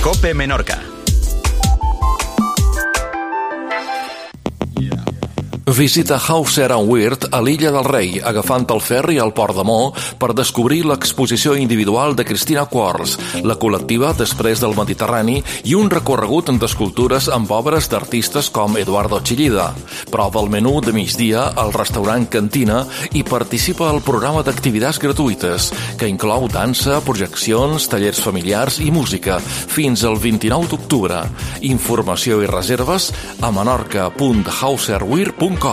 COPE Menorca. Visita Hauser & Wirth a l'Illa del Rei, agafant el ferri al Port de Mo per descobrir l'exposició individual de Cristina Quarles, la col·lectiva Després del Mediterrani i un recorregut d'escultures amb obres d'artistes com Eduardo Chillida. Prova el menú de migdia al restaurant Cantina i participa al programa d'activitats gratuïtes, que inclou dansa, projeccions, tallers familiars i música, fins al 29 d'octubre. Informació i reserves a menorca.hauserwirth.com. I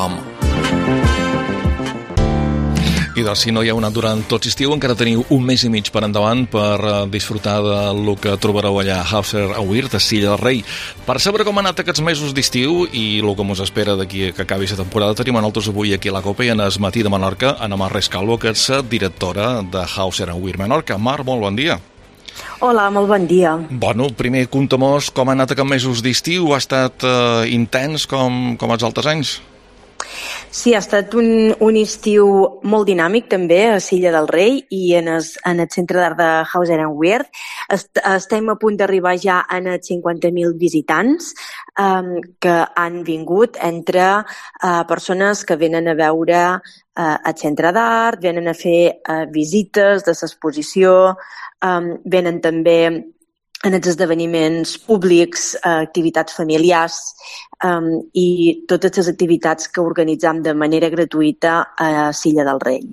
doncs, si no hi heu anat durant tot l'estiu, encara teniu un mes i mig per endavant per disfrutar del que trobareu allà a Hauser & Wirth, a Silla del Rei. Per saber com han anat aquests mesos d'estiu i el que ens espera d'aquí que acabi la temporada, tenim a nosaltres avui aquí a la COPE i en el matí de Menorca, Ana Mar Rescalvo, que és directora de Hauser & Wirth Menorca. Mar, molt bon dia. Hola, molt bon dia. Bueno, primer, conta-mos com han anat aquests mesos d'estiu. Ha estat intens com els altres anys? Sí, ha estat un estiu molt dinàmic també a Silla del Rei i en el centre d'art de Hauser & Wirth. Estem a punt d'arribar ja a 50.000 visitants que han vingut entre persones que venen a veure el centre d'art, venen a fer visites de l'exposició, venen també en els esdeveniments públics, activitats familiars i totes les activitats que organitzam de manera gratuïta a Silla del Rei.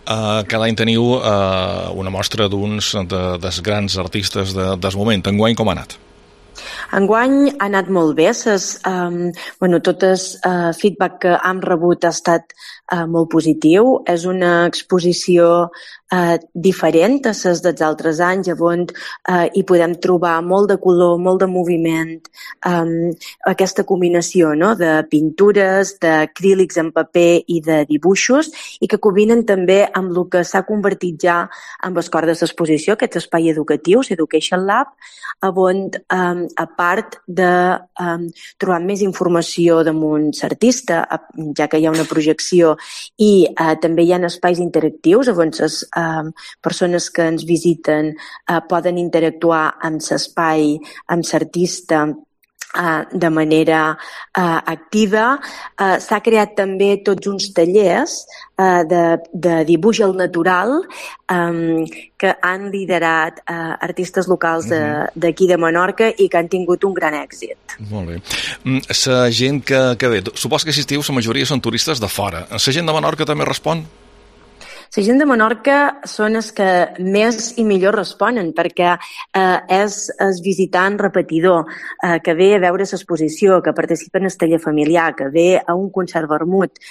Cada any teniu una mostra d'uns dels grans artistes del moment. Enguany com ha anat? Enguany ha anat molt bé. Tot el feedback que hem rebut ha estat molt positiu. És una exposició diferent a les dels altres anys, on hi podem trobar molt de color, molt de moviment, aquesta combinació de pintures, d'acrílics en paper i de dibuixos, i que combinen també amb el que s'ha convertit ja en el cor de l'exposició, aquest espai educatiu, l'Education Lab, on a part de trobar més informació damunt l'artista, ja que hi ha una projecció, i també hi ha espais interactius on les persones que ens visiten poden interactuar amb l'espai, amb l'artista, de manera activa. S'ha creat també tots uns tallers de dibuix al natural que han liderat artistes locals d'aquí de Menorca i que han tingut un gran èxit. Molt bé. La gent que ve, supos que assistiu, la majoria són turistes de fora. La gent de Menorca també respon? La gent de Menorca són els que més i millor responen, perquè és el visitant repetidor que ve a veure l'exposició, que participa en el taller familiar, que ve a un concert vermut,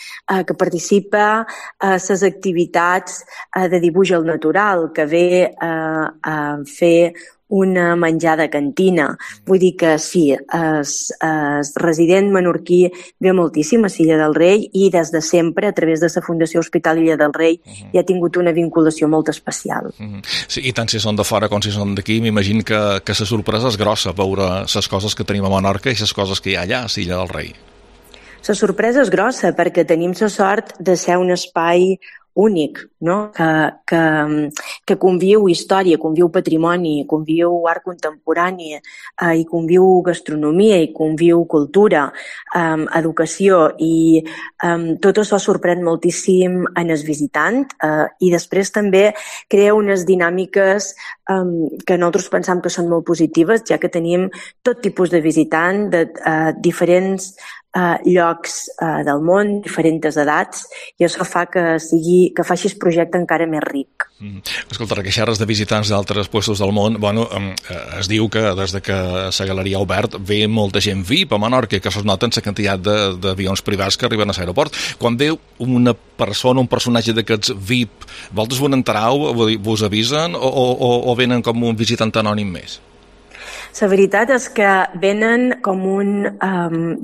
que participa a les activitats de dibuix al natural, que ve a fer una menjada cantina. Vull dir que sí, el resident menorquí ve moltíssim a Silla del Rei i des de sempre, a través de la Fundació Hospital Illa del Rei, hi ha tingut una vinculació molt especial. Sí, i tant si són de fora com si són d'aquí, m'imagino que la sorpresa és grossa veure les coses que tenim a Menorca i les coses que hi ha allà a Silla del Rei. La sorpresa és grossa perquè tenim la sort de ser un espai únic, no? Que conviu història, conviu patrimoni, conviu art contemporani, i conviu gastronomia, i conviu cultura, educació, i tot això sorprèn moltíssim en el visitant, i després també crea unes dinàmiques que nosaltres pensam que són molt positives, ja que tenim tot tipus de visitant de diferents llocs del món, diferents edats, i això fa que faci el projecte encara més ric. Escolta, que xerres de visitants d'altres puestos del món, es diu que des que la galeria ha obert ve molta gent VIP a Menorca, que es nota en la quantitat d'avions privats que arriben a l'aeroport. Quan ve una persona, un personatge d'aquests VIP, vosaltres vos n'enterau, vos avisen o venen com un visitant anònim més? La veritat és que venen com un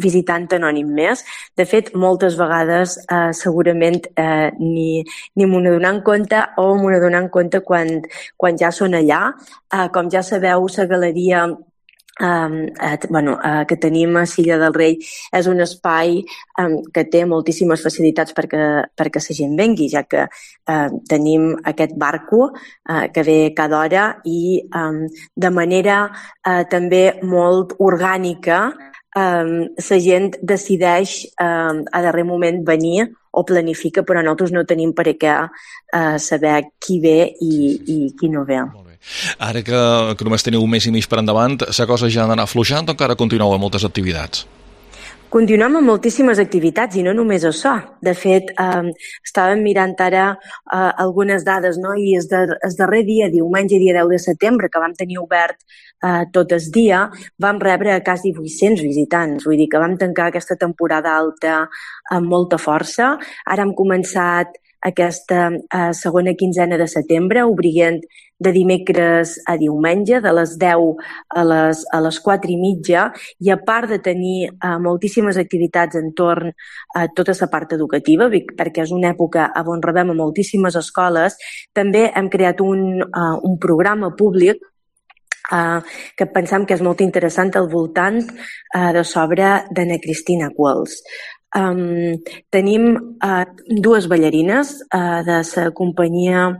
visitant anònim més. De fet, moltes vegades segurament ni m'ho n'adonem compte o m'ho n'adonem compte quan ja són allà. Com ja sabeu, la galeria que tenim a Silla del Rei és un espai que té moltíssimes facilitats perquè la gent vengui, ja que tenim aquest barco que ve cada hora i de manera també molt orgànica la gent decideix a darrer moment venir o planifica, però nosaltres no tenim per què saber qui ve i qui no ve. Ara que només teniu un mes i mig per endavant, la cosa ja ha d'anar afluixant o encara continueu amb moltes activitats? Continuem amb moltíssimes activitats i no només això. De fet, estàvem mirant ara algunes dades, no? I el darrer dia, diumenge, dia 10 de setembre, que vam tenir obert tot el dia, vam rebre quasi 800 visitants. Vull dir que vam tancar aquesta temporada alta amb molta força. Ara hem començat aquesta segona quinzena de setembre, obrint de dimecres a diumenge, de les 10 a les 4:30, i a part de tenir moltíssimes activitats entorn a tota la part educativa, perquè és una època on rebem a moltíssimes escoles, també hem creat un programa públic que pensam que és molt interessant al voltant de l'obra d'Anna Cristina Quals. Tenim dues ballarines de la companyia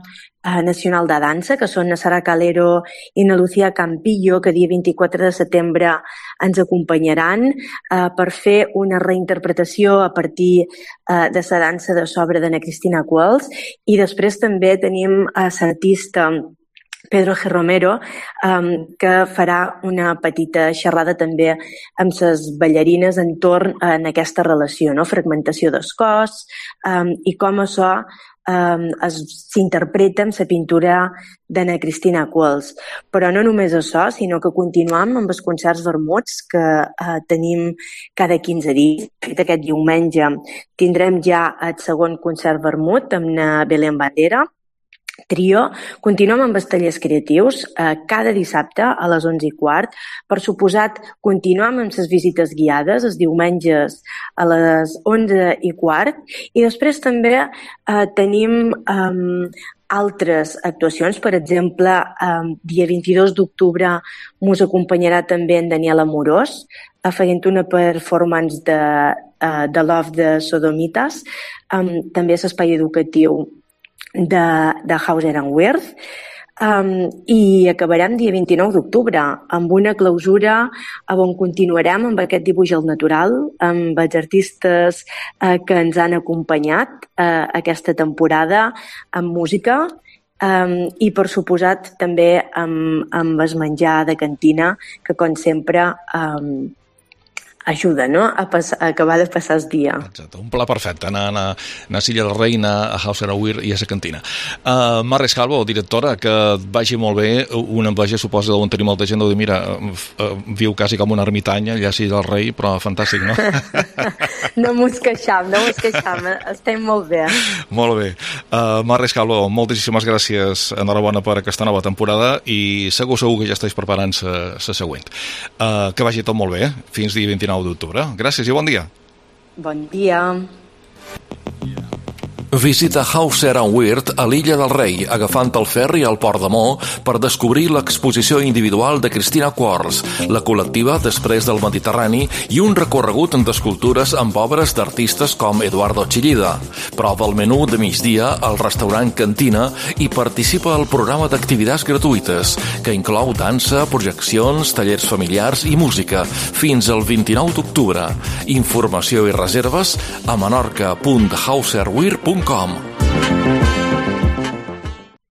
nacional de dansa, que són na Sara Calero i na Lucía Campillo, que dia 24 de setembre ens acompanyaran per fer una reinterpretació a partir de la dansa de l'obra d'Anna Cristina Quals. I després també tenim l'artista Pedro G. Romero, que farà una petita xerrada també amb les ballarines entorn a aquesta relació, no? Fragmentació del cos i com això s'interpreta amb la pintura d'Anna Cristina Quals. Però no només això, sinó que continuem amb els concerts vermuts que tenim cada 15 dies. Aquest diumenge tindrem ja el segon concert vermut amb na Belén Bandera, Trio. Continuem amb els tallers creatius cada dissabte a les 11:15. Per suposat, continuem amb les visites guiades els diumenges a les 11:15 i després també tenim altres actuacions. Per exemple, dia 22 d'octubre mos acompanyarà també en Daniel Amorós fent una performance de Love de Sodomites, també a l'espai educatiu de Hauser & Wirth, i acabarem dia 29 d'octubre amb una clausura on continuarem amb aquest dibuix al natural, amb els artistes que ens han acompanyat aquesta temporada, amb música i, per suposat, també amb el menjar de cantina, que, com sempre, ajuda, no?, a acabar de passar el dia. Exacte, un pla perfecte, anar a Silla del Rei, anar a Hauser & Wirth i a la cantina. Mar Rescalvo, directora, que et vagi molt bé. Una enveja, suposa, d'on tenir molta gent, de dir, mira, viu quasi com una ermitanya allà a Silla del Rei, però fantàstic, no? No mos queixam, estem molt bé. Molt bé. Mar Rescalvo, moltíssimes gràcies, enhorabona per aquesta nova temporada i segur que ja estàs preparant la següent. Que vagi tot molt bé, fins dia 29 d'octubre. Gràcies i bon dia. Bon dia. Visita Hauser & Wirth a l'Illa del Rei, agafant el ferri al Port de Mo per descobrir l'exposició individual de Cristina Quars, la col·lectiva Després del Mediterrani i un recorregut d'escultures amb obres d'artistes com Eduardo Chillida. Prova el menú de migdia al restaurant Cantina i participa al programa d'activitats gratuïtes, que inclou dansa, projeccions, tallers familiars i música, fins al 29 d'octubre. Informació i reserves a menorca.hauserwirth.com.